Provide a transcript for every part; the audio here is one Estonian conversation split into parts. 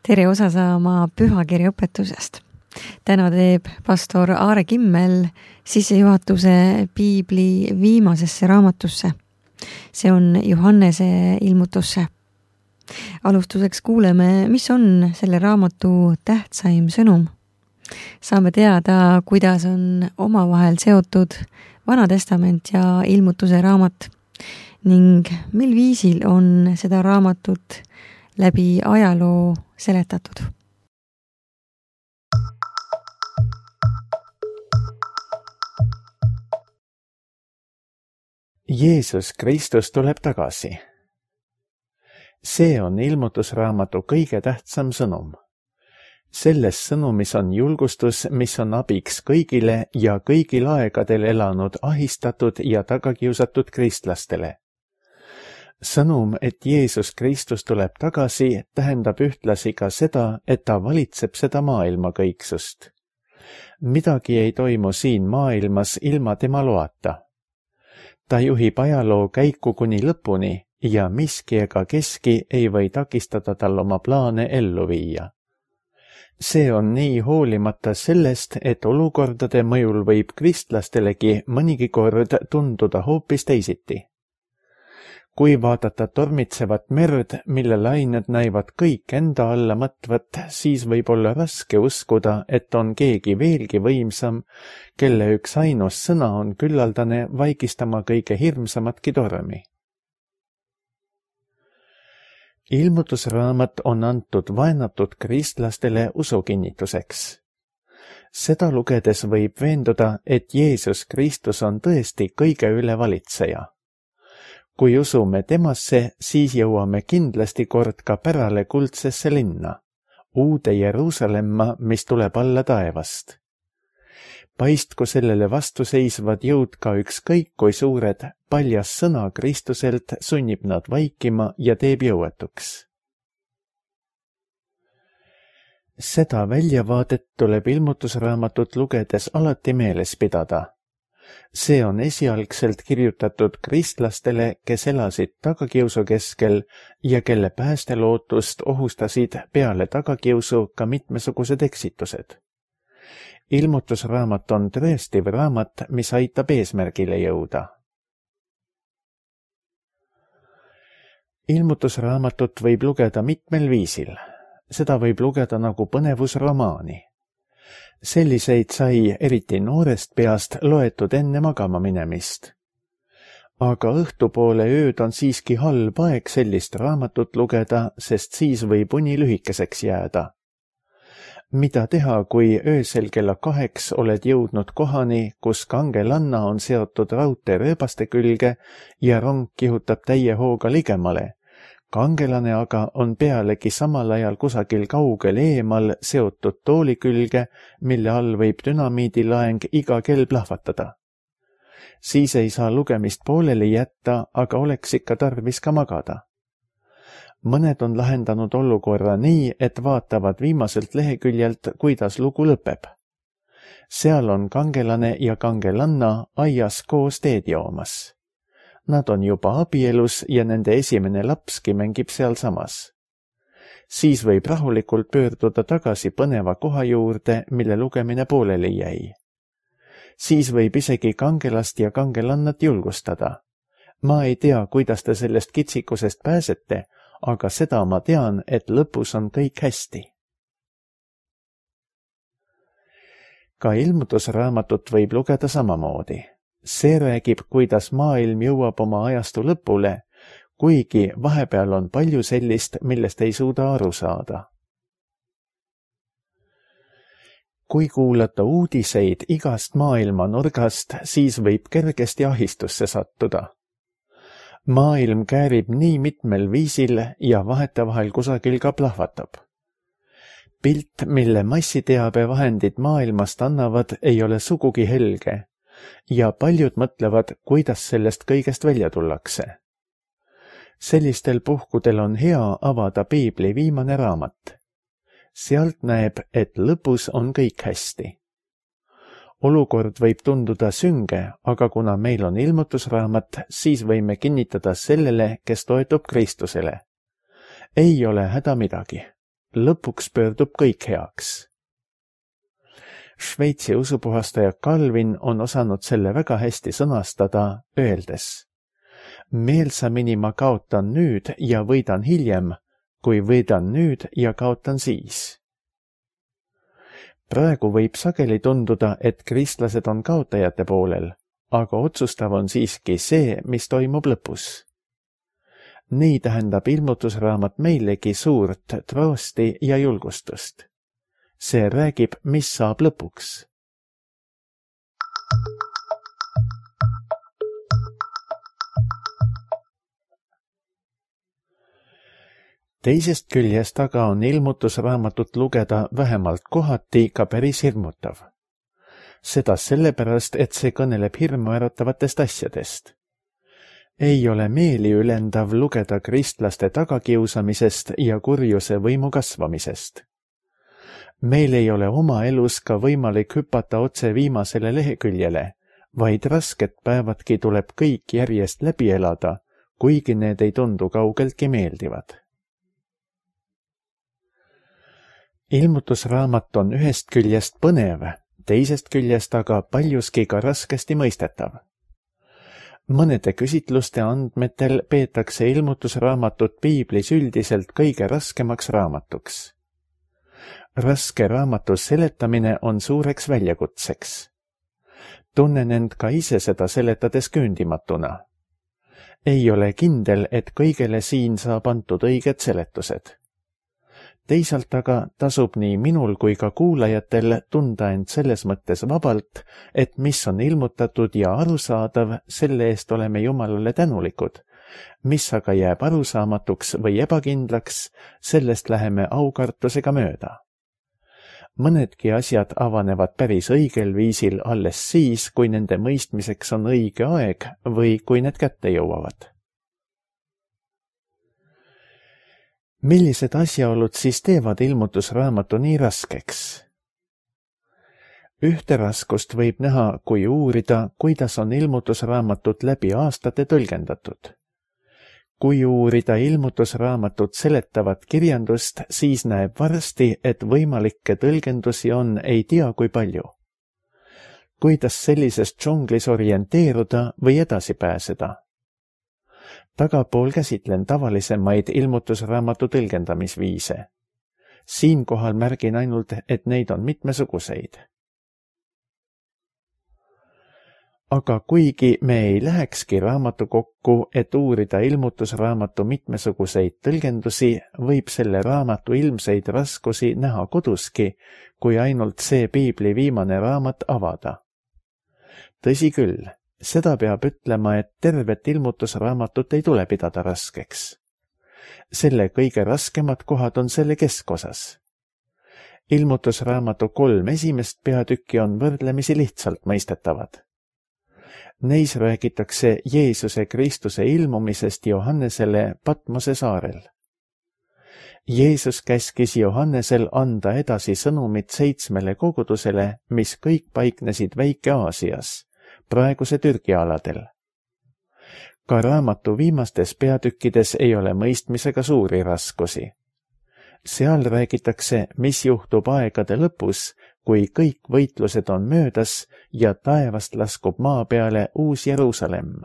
Tere osa saama pühakirja õpetusest. Täna teeb pastor Aare Kimmel sissejuhatuse Piibli viimasesse raamatusse. See on Johannese ilmutusse. Alustuseks kuuleme, mis on selle raamatu tähtsaim sõnum. Saame teada, kuidas on omavahel seotud Vana Testament ja ilmutuse raamat ning mil viisil on seda raamatut läbi ajaloo seletatud. Jeesus Kristus tuleb tagasi. See on ilmutusraamatu kõige tähtsam sõnum. Selles sõnumis on julgustus, mis on abiks kõigile ja kõigil aegadel elanud ahistatud ja tagakiusatud kristlastele. Sõnum, et Jeesus Kristus tuleb tagasi, tähendab ühtlasi ka seda, et ta valitseb seda maailma kõiksust. Midagi ei toimu siin maailmas ilma tema loata. Ta juhib ajaloo käiku kuni lõpuni ja miski ega keski ei või takistada tal oma plaane ellu viia. See on nii hoolimata sellest, et olukordade mõjul võib kristlastelegi mõnigi kord tunduda hoopis teisiti. Kui vaadata tormitsevat merd, mille lained näivad kõik enda alla mõtvat, siis võib olla raske uskuda, et on keegi veelgi võimsam, kelle üks ainus sõna on küllaldane vaigistama kõige hirmsamatki tormi. Ilmutusraamat on antud vaenatud kristlastele usukinnituseks. Seda lugedes võib veenduda, et Jeesus Kristus on tõesti kõige üle valitseja. Kui usume temasse, siis jõuame kindlasti kord ka pärale kuldsesse linna, uude Jeruusalemma, mis tuleb alla taevast. Paistku sellele vastuseisvad jõud ka ükskõik kui suured, paljas sõna Kristuselt sunnib nad vaikima ja teeb jõuetuks. Seda väljavaadet tuleb ilmutusraamatut lugedes alati meeles pidada. See on esialgselt kirjutatud kristlastele, kes elasid tagakiusu keskel ja kelle päästelootust ohustasid peale tagakiusu ka mitmesugused eksitused. Ilmutusraamat on tõestiv raamat, mis aitab eesmärgile jõuda. Ilmutusraamatut võib lugeda mitmel viisil. Seda võib lugeda nagu põnevusromaani. Selliseid sai eriti noorest peast loetud enne magama minemist. Aga õhtupoole ööd on siiski halb aeg sellist raamatut lugeda, sest siis võib uni lühikeseks jääda. Mida teha, kui öösel kella 2 oled jõudnud kohani, kus kangelanna on seotud raudteerööbaste külge ja rong kihutab täie hooga ligemale? Kangelane aga on pealegi samal ajal kusagil kaugel eemal seotud tooli külge, mille all võib dünamiidilaeng iga kell plahvatada. Siis ei saa lugemist pooleli jätta, aga oleks ikka tarvis ka magada. Mõned on lahendanud olukorra nii, et vaatavad viimaselt leheküljelt, kuidas lugu lõpeb. Seal on kangelane ja kangelanna aias koos teed joomas. Nad on juba abielus ja nende esimene lapski mängib sealsamas. Siis võib rahulikult pöörduda tagasi põneva koha juurde, mille lugemine pooleli jäi. Siis võib isegi kangelast ja kangelannat julgustada. Ma ei tea, kuidas te sellest kitsikusest pääsete, aga seda ma tean, et lõpus on kõik hästi. Ka ilmutusraamatut võib lugeda samamoodi. See räägib, kuidas maailm jõuab oma ajastu lõpule, kuigi vahepeal on palju sellist, millest ei suuda aru saada. Kui kuulata uudiseid igast maailma nurgast, siis võib kergesti ahistusse sattuda. Maailm käärib nii mitmel viisil ja vahetevahel kusagil ka plahvatab. Pilt, mille massiteabevahendid maailmast annavad, ei ole sugugi helge ja paljud mõtlevad, kuidas sellest kõigest välja tullakse. Sellistel puhkudel on hea avada Piibli viimane raamat. Sealt näeb, et lõpus on kõik hästi. Olukord võib tunduda sünge, aga kuna meil on ilmutusraamat, siis võime kinnitada sellele, kes toetub Kristusele. Ei ole häda midagi. lõpuks pöördub kõik heaks. Šveitsi usupuhastaja Calvin on osanud selle väga hästi sõnastada, öeldes: meelsamini ma kaotan nüüd ja võidan hiljem, kui võidan nüüd ja kaotan siis. Praegu võib sageli tunduda, et kristlased on kaotajate poolel, aga otsustav on siiski see, mis toimub lõpus. Nii tähendab ilmutusraamat meilegi suurt troosti ja julgustust. See räägib, mis saab lõpuks. Teisest küljest aga on ilmutusraamatut lugeda vähemalt kohati ka päris hirmutav. Seda sellepärast, et see kõneleb hirmuäratavatest asjadest. Ei ole meeliülendav lugeda kristlaste tagakiusamisest ja kurjuse võimu kasvamisest. Meil ei ole oma elus ka võimalik hüpata otse viimasele leheküljele, vaid rasked päevadki tuleb kõik järjest läbi elada, kuigi need ei tundu kaugeltki meeldivad. Ilmutusraamat on ühest küljest põnev, teisest küljest aga paljuski ka raskesti mõistetav. Mõnede küsitluste andmetel peetakse ilmutusraamatut piiblis üldiselt kõige raskemaks raamatuks. Raske raamatu seletamine on suureks väljakutseks. Tunnen end ka ise seda seletades küündimatuna. Ei ole kindel, et kõigele siin saab antud õiged seletused. Teisalt aga tasub nii minul kui ka kuulajatel tunda end selles mõttes vabalt, et mis on ilmutatud ja arusaadav, selle eest oleme Jumalale tänulikud. Mis aga jääb arusaamatuks või ebakindlaks, sellest läheme aukartusega mööda. Mõnedki asjad avanevad päris õigel viisil alles siis, kui nende mõistmiseks on õige aeg või kui need kätte jõuavad. Millised asjaolud siis teevad ilmutusraamatu nii raskeks? Ühte raskust võib näha, kui uurida, kuidas on ilmutusraamatut läbi aastate tõlgendatud. Kui uurida ilmutusraamatut seletavat kirjandust, siis näeb varsti, et võimalikke tõlgendusi on ei tea kui palju. Kuidas sellises džunglis orienteeruda või edasi pääseda? Tagapool käsitlen tavalisemaid ilmutusraamatu tõlgendamisviise. Siinkohal märgin ainult, et neid on mitmesuguseid. Aga kuigi me ei lähekski raamatukokku, et uurida ilmutusraamatu mitmesuguseid tõlgendusi, võib selle raamatu ilmseid raskusi näha koduski, kui ainult see piibli viimane raamat avada. Tõsi küll, seda peab ütlema, et tervet ilmutusraamatut ei tule pidada raskeks. Selle kõige raskemad kohad on selle keskosas. Ilmutusraamatu 3 esimest peatükki on võrdlemisi lihtsalt mõistetavad. Neis räägitakse Jeesuse Kristuse ilmumisest Johannesele Patmose saarel. Jeesus käskis Johannesel anda edasi sõnumit 7 kogudusele, mis kõik paiknesid Väike-Aasias, praeguse Türgi aladel. Ka raamatu viimastes peatükkides ei ole mõistmisega suuri raskusi. Seal räägitakse, mis juhtub aegade lõpus, kui kõik võitlused on möödas ja taevast laskub maa peale uus Jeruusalemm.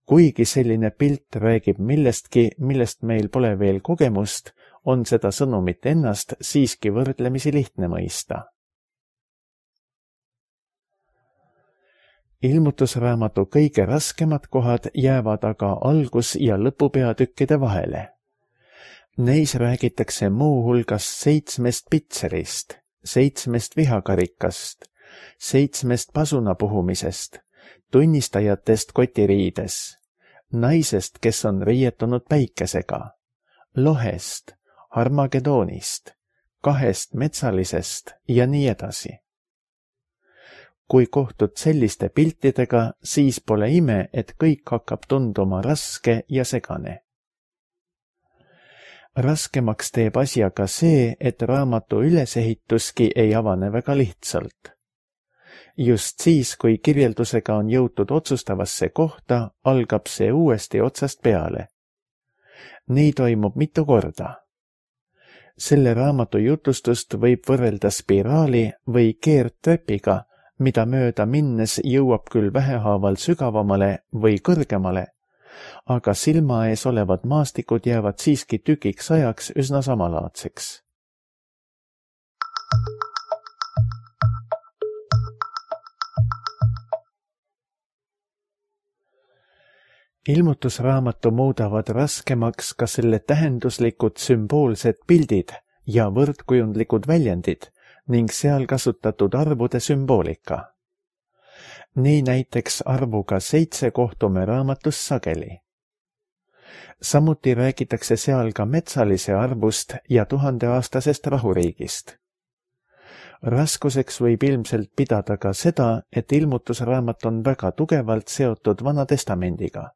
Kuigi selline pilt räägib millestki, millest meil pole veel kogemust, on seda sõnumit ennast siiski võrdlemisi lihtne mõista. Ilmutusraamatu kõige raskemad kohad jäävad aga algus- ja lõpupeatükkide vahele. Neis räägitakse muu hulgas 7 pitserist, 7 vihakarikast, 7 pasuna puhumisest, tunnistajatest kotiriides, naisest, kes on riietunud päikesega, lohest, Armagedoonist, 2 metsalisest ja nii edasi. Kui kohtud selliste piltidega, siis pole ime, et kõik hakkab tunduma raske ja segane. Raskemaks teeb asja ka see, et raamatu ülesehituski ei avane väga lihtsalt. Just siis, kui kirjeldusega on jõutud otsustavasse kohta, algab see uuesti otsast peale. Nii toimub mitu korda. Selle raamatu jutustust võib võrrelda spiraali või keerdtrepiga, mida mööda minnes jõuab küll vähehaaval sügavamale või kõrgemale, aga silma ees olevad maastikud jäävad siiski tükiks ajaks üsna samalaadseks. Ilmutusraamatu muudavad raskemaks ka selle tähenduslikud sümboolsed pildid ja võrdkujundlikud väljendid ning seal kasutatud arvude sümboolika. Nii näiteks arvuga 7 kohtume raamatus sageli. Samuti räägitakse seal ka metsalise arvust ja 1000-aastasest rahuriigist. Raskuseks võib ilmselt pidada ka seda, et ilmutusraamat on väga tugevalt seotud Vana Testamendiga.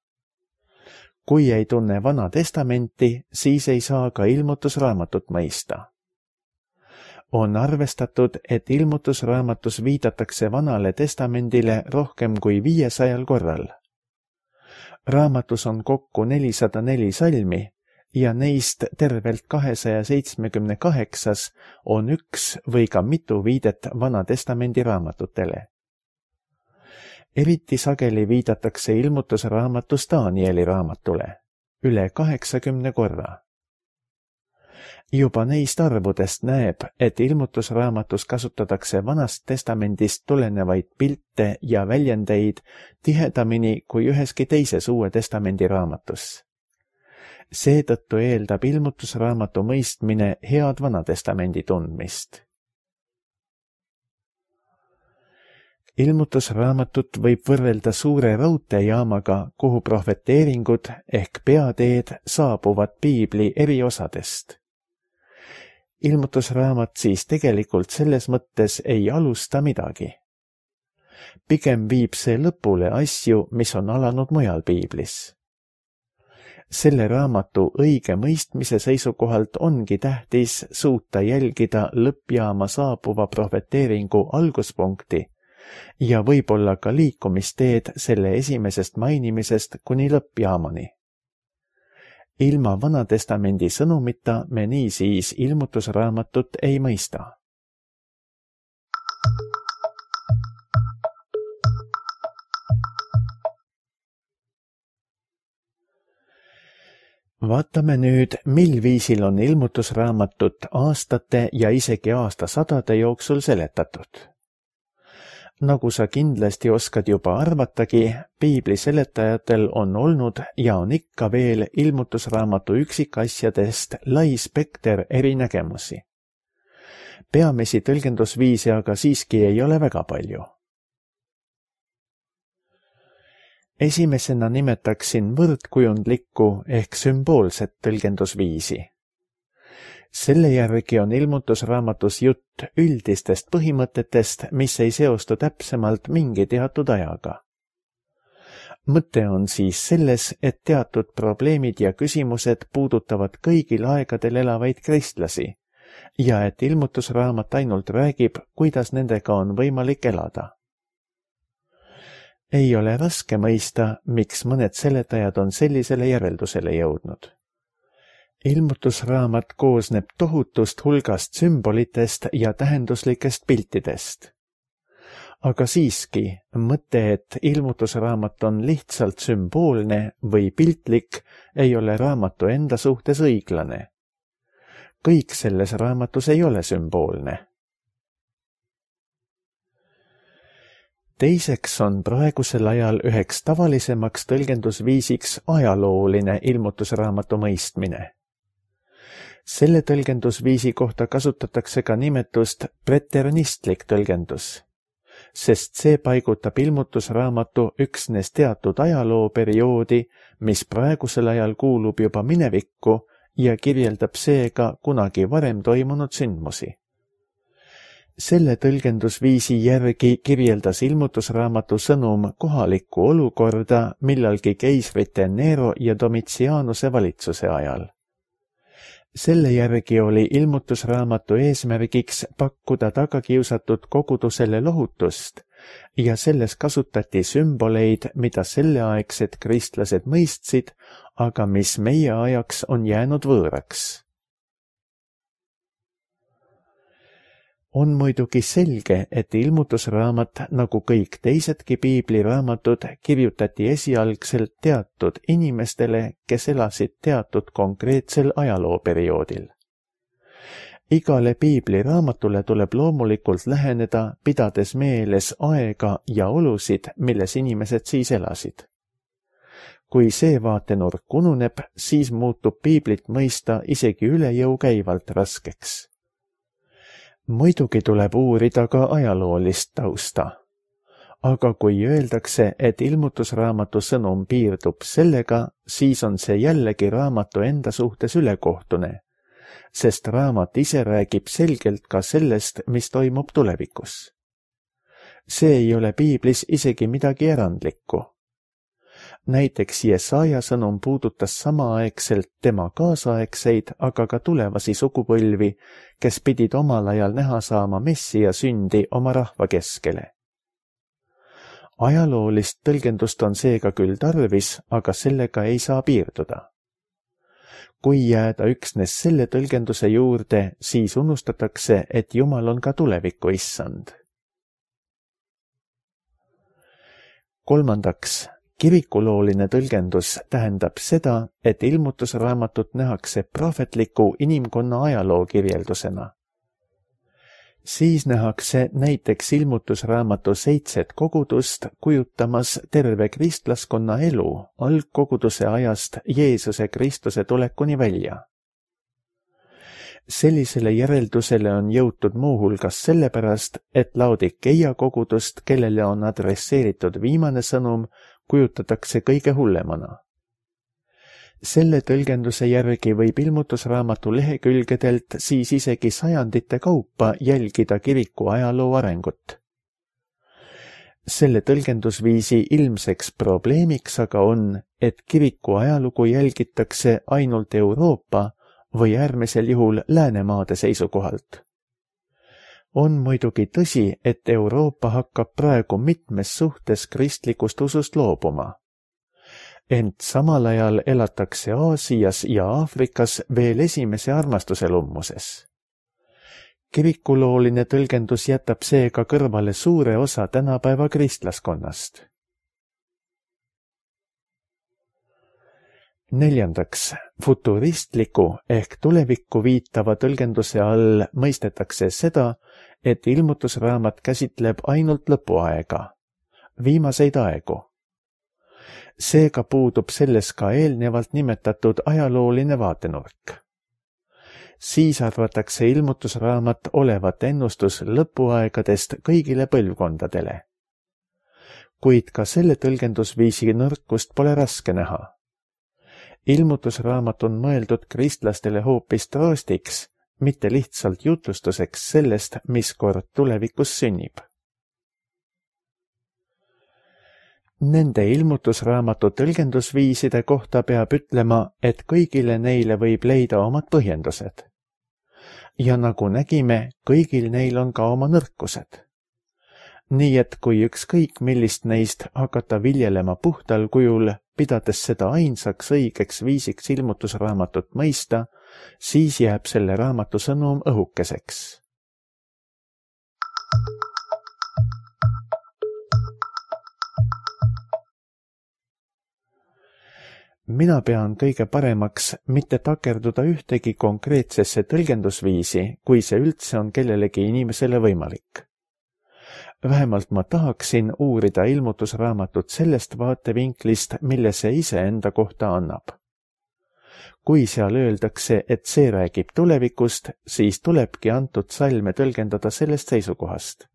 Kui ei tunne Vana Testamenti, siis ei saa ka ilmutusraamatut mõista. On arvestatud, et ilmutusraamatus viidatakse Vanale Testamendile rohkem kui 500 korral. Raamatus on kokku 404 salmi ja neist tervelt 278 on üks või ka mitu viidet Vana Testamendi raamatutele. Eriti sageli viidatakse ilmutusraamatus Danieli raamatule, üle 80 korra. Juba neist arvudest näeb, et ilmutusraamatus kasutatakse Vanast Testamendist tulenevaid pilte ja väljendeid tihedamini kui üheski teises Uue Testamendi raamatus. Seetõttu eeldab ilmutusraamatu mõistmine head Vana Testamendi tundmist. Ilmutusraamatut võib võrrelda suure raudteejaamaga, kuhu prohveteeringud ehk peateed saabuvad piibli eri osadest. Ilmutusraamat siis tegelikult selles mõttes ei alusta midagi. Pigem viib see lõpule asju, mis on alanud mujal piiblis. Selle raamatu õige mõistmise seisukohalt ongi tähtis suuta jälgida lõppjaama saabuva prohveteeringu alguspunkti ja võib-olla ka liikumisteed selle esimesest mainimisest kuni lõppjaamani. Ilma Vana Testamendi sõnumita me niisiis ilmutusraamatut ei mõista. Vaatame nüüd, mil viisil on ilmutusraamatut aastate ja isegi aastasadade jooksul seletatud. Nagu sa kindlasti oskad juba arvatagi, piibli seletajatel on olnud ja on ikka veel ilmutusraamatu üksikasjadest lai spekter erinägemusi. Peamisi tõlgendusviise aga siiski ei ole väga palju. Esimesena nimetaksin võrdkujundlikku ehk sümboolset tõlgendusviisi. Selle järgi on ilmutusraamatus jutt üldistest põhimõtetest, mis ei seostu täpsemalt mingi teatud ajaga. Mõte on siis selles, et teatud probleemid ja küsimused puudutavad kõigil aegadel elavaid kristlasi ja et ilmutusraamat ainult räägib, kuidas nendega on võimalik elada. Ei ole raske mõista, miks mõned seletajad on sellisele järeldusele jõudnud. Ilmutusraamat koosneb tohutust hulgast sümbolitest ja tähenduslikest piltidest. Aga siiski, mõte, et ilmutusraamat on lihtsalt sümboolne või piltlik, ei ole raamatu enda suhtes õiglane. Kõik selles raamatus ei ole sümboolne. Teiseks on praegusel ajal üheks tavalisemaks tõlgendusviisiks ajalooline ilmutusraamatu mõistmine. Selle tõlgendusviisi kohta kasutatakse ka nimetust preternistlik tõlgendus, sest see paigutab ilmutusraamatu üksnes teatud ajalooperioodi, mis praegusel ajal kuulub juba minevikku ja kirjeldab seega kunagi varem toimunud sündmusi. Selle tõlgendusviisi järgi kirjeldas ilmutusraamatu sõnum kohalikku olukorda millalgi keisrite Nero ja Domitianuse valitsuse ajal. Selle järgi oli ilmutusraamatu eesmärgiks pakkuda tagakiusatud kogudusele lohutust ja selles kasutati sümboleid, mida selleaegsed kristlased mõistsid, aga mis meie ajaks on jäänud võõraks. On muidugi selge, et ilmutusraamat, nagu kõik teisedki piibliraamatud, kirjutati esialgselt teatud inimestele, kes elasid teatud konkreetsel ajalooperioodil. Igale piibliraamatule tuleb loomulikult läheneda, pidades meeles aega ja olusid, milles inimesed siis elasid. Kui see vaatenurk ununeb, siis muutub piiblit mõista isegi üle jõu käivalt raskeks. Muidugi tuleb uurida ka ajaloolist tausta. Aga kui öeldakse, et ilmutusraamatu sõnum piirdub sellega, siis on see jällegi raamatu enda suhtes ülekohtune, sest raamat ise räägib selgelt ka sellest, mis toimub tulevikus. See ei ole piiblis isegi midagi erandlikku. Näiteks Jesaja sõnum puudutas samaaegselt tema kaasaegseid, aga ka tulevasi sugupõlvi, kes pidid omal ajal näha saama Messia sündi oma rahva keskele. Ajaloolist tõlgendust on seega küll tarvis, aga sellega ei saa piirduda. Kui jääda üksnes selle tõlgenduse juurde, siis unustatakse, et Jumal on ka tuleviku issand. Kolmandaks, kirikulooline tõlgendus tähendab seda, et ilmutusraamatut nähakse prohvetliku inimkonna ajaloo kirjeldusena. Siis nähakse näiteks ilmutusraamatu 7 kogudust kujutamas terve kristlaskonna elu algkoguduse ajast Jeesuse Kristuse tulekuni välja. Sellisele järeldusele on jõutud muuhulgas sellepärast, et Laodikeia kogudust, kellele on adresseeritud viimane sõnum, kujutatakse kõige hullemana. Selle tõlgenduse järgi võib ilmutusraamatu lehekülgedelt siis isegi sajandite kaupa jälgida kiriku ajaloo arengut. Selle tõlgendusviisi ilmseks probleemiks aga on, et kiriku ajalugu jälgitakse ainult Euroopa või äärmisel juhul Läänemaade seisukohalt. On muidugi tõsi, et Euroopa hakkab praegu mitmes suhtes kristlikust usust loobuma. Ent samal ajal elatakse Aasias ja Aafrikas veel esimese armastuse lummuses. Kirikulooline tõlgendus jätab seega kõrvale suure osa tänapäeva kristlaskonnast. Neljandaks, futuristliku ehk tulevikku viitava tõlgenduse all mõistetakse seda, et ilmutusraamat käsitleb ainult lõpuaega, viimaseid aegu. Seega puudub selles ka eelnevalt nimetatud ajalooline vaatenurk. Siis arvatakse ilmutusraamat olevat ennustus lõpuaegadest kõigile põlvkondadele. Kuid ka selle tõlgendusviisi nõrkust pole raske näha. Ilmutusraamat on mõeldud kristlastele hoopis troostiks, mitte lihtsalt jutlustuseks sellest, mis kord tulevikus sünnib. Nende ilmutusraamatu tõlgendusviiside kohta peab ütlema, et kõigile neile võib leida omad põhjendused. Ja nagu nägime, kõigil neil on ka oma nõrkused. Nii et kui ükskõik millist neist hakata viljelema puhtal kujul, pidades seda ainsaks õigeks viisiks ilmutusraamatut mõista, siis jääb selle raamatu sõnum õhukeseks. Mina pean kõige paremaks mitte takerduda ühtegi konkreetsesse tõlgendusviisi, kui see üldse on kellelegi inimesele võimalik. Vähemalt ma tahaksin uurida ilmutusraamatut sellest vaatevinklist, mille see ise enda kohta annab. Kui seal öeldakse, et see räägib tulevikust, siis tulebki antud salme tõlgendada sellest seisukohast.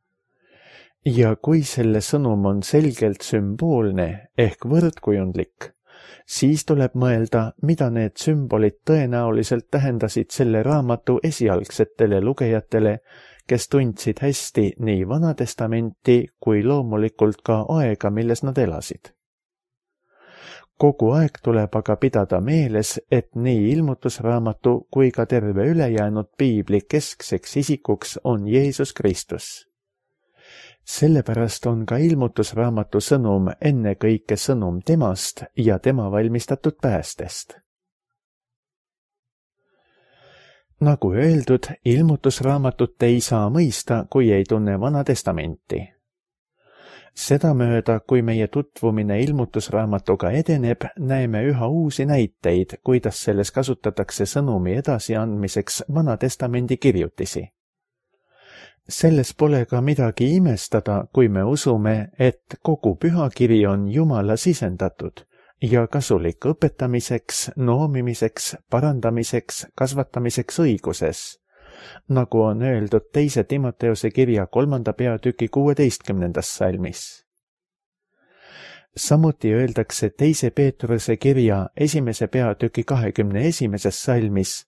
Ja kui selle sõnum on selgelt sümboolne ehk võrdkujundlik, siis tuleb mõelda, mida need sümbolid tõenäoliselt tähendasid selle raamatu esialgsetele lugejatele, kes tundsid hästi nii Vana Testamenti kui loomulikult ka aega, milles nad elasid. Kogu aeg tuleb aga pidada meeles, et nii ilmutusraamatu kui ka terve ülejäänud piibli keskseks isikuks on Jeesus Kristus. Sellepärast on ka ilmutusraamatu sõnum ennekõike sõnum temast ja tema valmistatud päästest. Nagu öeldud, ilmutusraamatut ei saa mõista, kui ei tunne Vana Testamenti. Sedamööda, kui meie tutvumine ilmutusraamatuga edeneb, näeme üha uusi näiteid, kuidas selles kasutatakse sõnumi edasiandmiseks Vana Testamendi kirjutisi. Selles pole ka midagi imestada, kui me usume, et kogu pühakiri on Jumala sisendatud ja kasulik õpetamiseks, noomimiseks, parandamiseks, kasvatamiseks õiguses, nagu on öeldud 2. Timoteuse kirja 3. peatüki 16. salmis. Samuti öeldakse 2. Peetruse kirja 1. peatüki 21. salmis,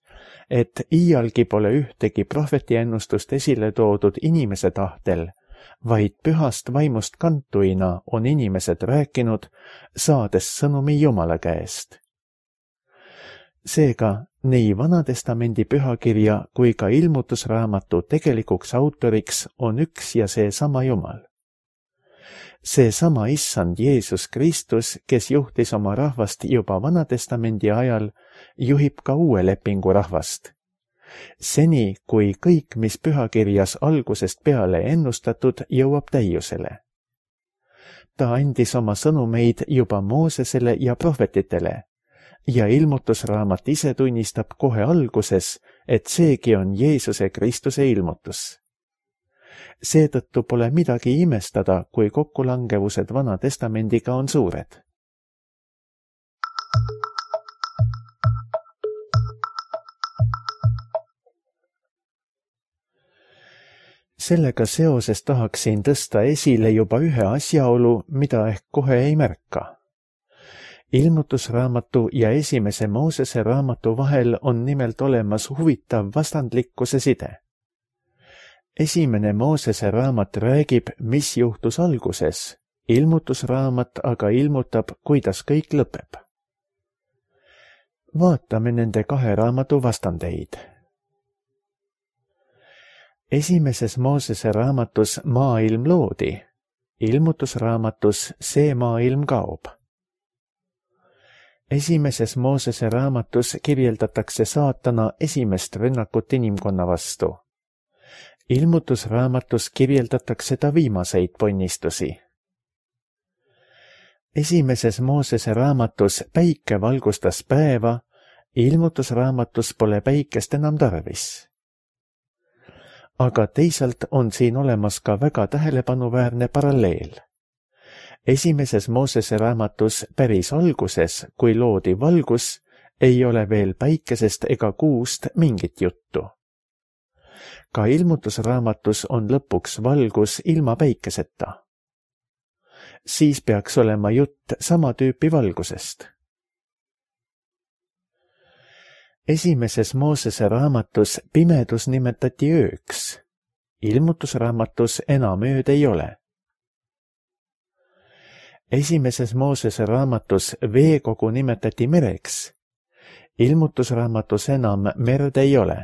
et iialgi pole ühtegi prohvetiennustust esile toodud inimese tahtel, vaid pühast vaimust kantuina on inimesed rääkinud, saades sõnumi Jumala käest. Seega, nii Vana-testamendi pühakirja kui ka ilmutusraamatu tegelikuks autoriks on üks ja seesama Jumal. Seesama Issand Jeesus Kristus, kes juhtis oma rahvast juba Vana-testamendi ajal, juhib ka uue lepingu rahvast. Seni, kui kõik, mis pühakirjas algusest peale ennustatud, jõuab täiusele. Ta andis oma sõnumeid juba Moosesele ja prohvetitele ja ilmutusraamat ise tunnistab kohe alguses, et seegi on Jeesuse Kristuse ilmutus. Seetõttu pole midagi imestada, kui kokkulangevused Vana Testamendiga on suured. Sellega seoses tahaksin tõsta esile juba ühe asjaolu, mida ehk kohe ei märka. Ilmutusraamatu ja 1. Moosese raamatu vahel on nimelt olemas huvitav vastandlikkuse side. 1. Moosese raamat räägib, mis juhtus alguses, ilmutusraamat aga ilmutab, kuidas kõik lõpeb. Vaatame nende kahe raamatu vastandeid. 1. Moosese raamatus maailm loodi, ilmutusraamatus see maailm kaob. 1. Moosese raamatus kirjeldatakse saatana esimest rünnakut inimkonna vastu. Ilmutusraamatus kirjeldatakse ta viimaseid ponnistusi. 1. Moosese raamatus päike valgustas päeva, ilmutusraamatus pole päikest enam tarvis. Aga teisalt on siin olemas ka väga tähelepanuväärne paralleel. 1. Moosese raamatus päris alguses, kui loodi valgus, ei ole veel päikesest ega kuust mingit juttu. Ka ilmutusraamatus on lõpuks valgus ilma päikeseta. Siis peaks olema jutt sama tüüpi valgusest. 1. Moosese raamatus pimedus nimetati ööks. Ilmutusraamatus enam ööd ei ole. 1. Moosese raamatus veekogu nimetati mereks. Ilmutusraamatus enam merd ei ole.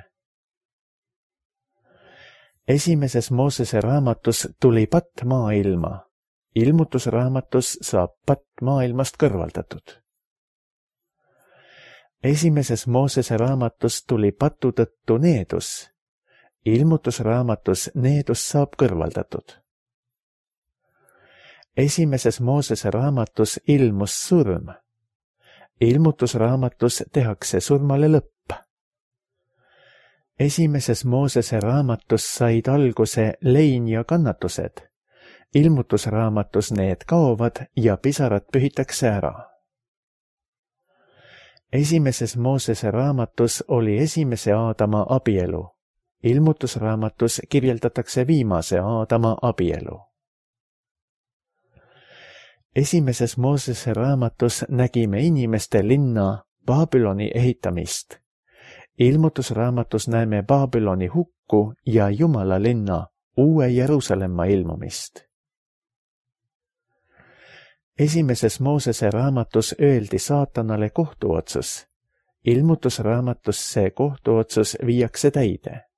1. Moosese raamatus tuli patt maailma. Ilmutusraamatus saab patt maailmast kõrvaldatud. 1. Moosese raamatus tuli patu tõttu needus. Ilmutusraamatus needus saab kõrvaldatud. 1. Moosese raamatus ilmus surm. Ilmutusraamatus tehakse surmale lõpp. 1. Moosese raamatus said alguse lein ja kannatused. Ilmutusraamatus need kaovad ja pisarad pühitakse ära. 1. Moosese raamatus oli esimese Aadama abielu. Ilmutusraamatus kirjeldatakse viimase Aadama abielu. 1. Moosese raamatus nägime inimeste linna Babyloni ehitamist. Ilmutusraamatus näeme Babyloni hukku ja Jumala linna Uue Jeruusalemma ilmumist. 1. Moosese raamatus öeldi saatanale kohtuotsus. Ilmutusraamatus see kohtuotsus viiakse täide.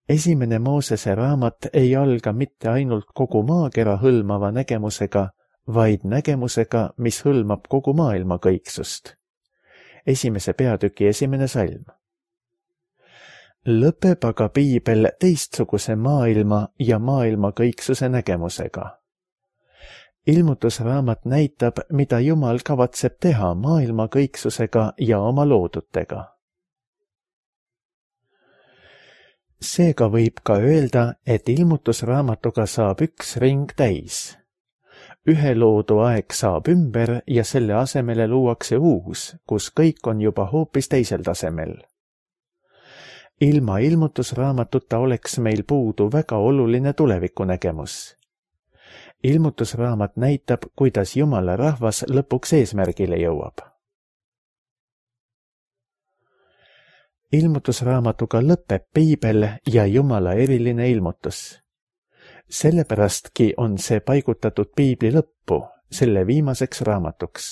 1. Moosese raamat ei alga mitte ainult kogu maakera hõlmava nägemusega, vaid nägemusega, mis hõlmab kogu maailma kõiksust. 1. peatüki 1. salm. Lõpeb aga piibel teistsuguse maailma ja maailma kõiksuse nägemusega. Ilmutusraamat näitab, mida Jumal kavatseb teha maailma kõiksusega ja oma loodutega. Seega võib ka öelda, et ilmutusraamatuga saab üks ring täis. Ühe loodu aeg saab ümber ja selle asemele luuakse uus, kus kõik on juba hoopis teisel tasemel. Ilma ilmutusraamatuta oleks meil puudu väga oluline tulevikunägemus. Ilmutusraamat näitab, kuidas Jumala rahvas lõpuks eesmärgile jõuab. Ilmutusraamatuga lõpeb piibel ja Jumala eriline ilmutus. Sellepärastki on see paigutatud piibli lõppu, selle viimaseks raamatuks.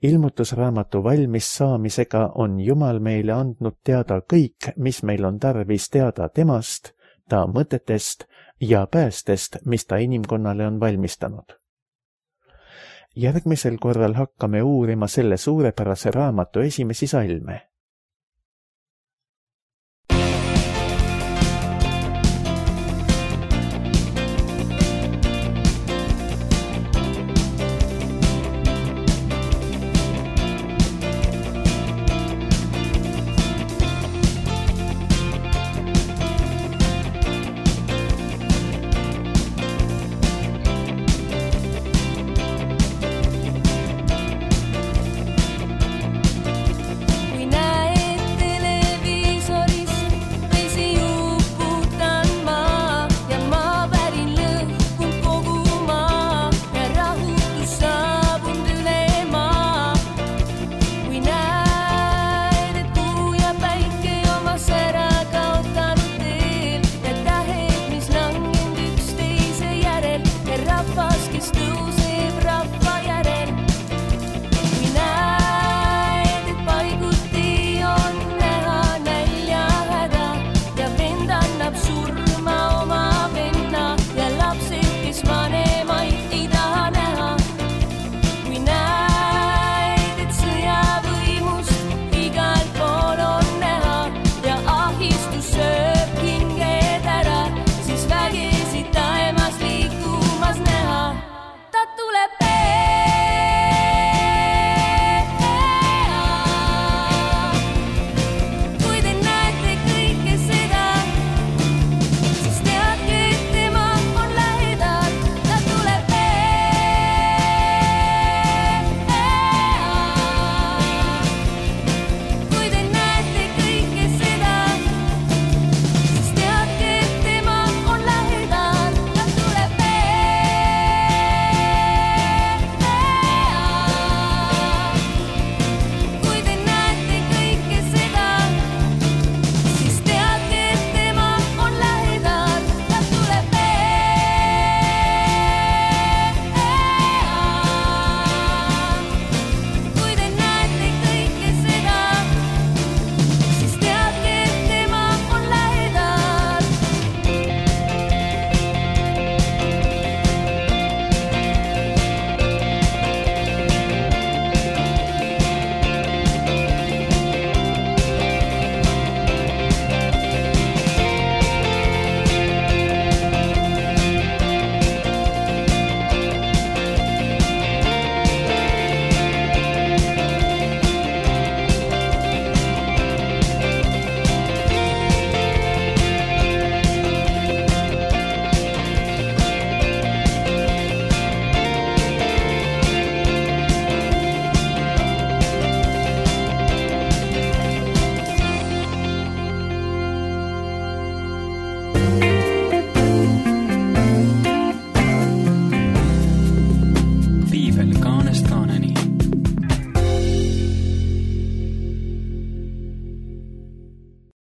Ilmutusraamatu valmis saamisega on Jumal meile andnud teada kõik, mis meil on tarvis teada temast, ta mõtetest ja päästest, mis ta inimkonnale on valmistanud. Järgmisel korral hakkame uurima selle suurepärase raamatu esimesi salme.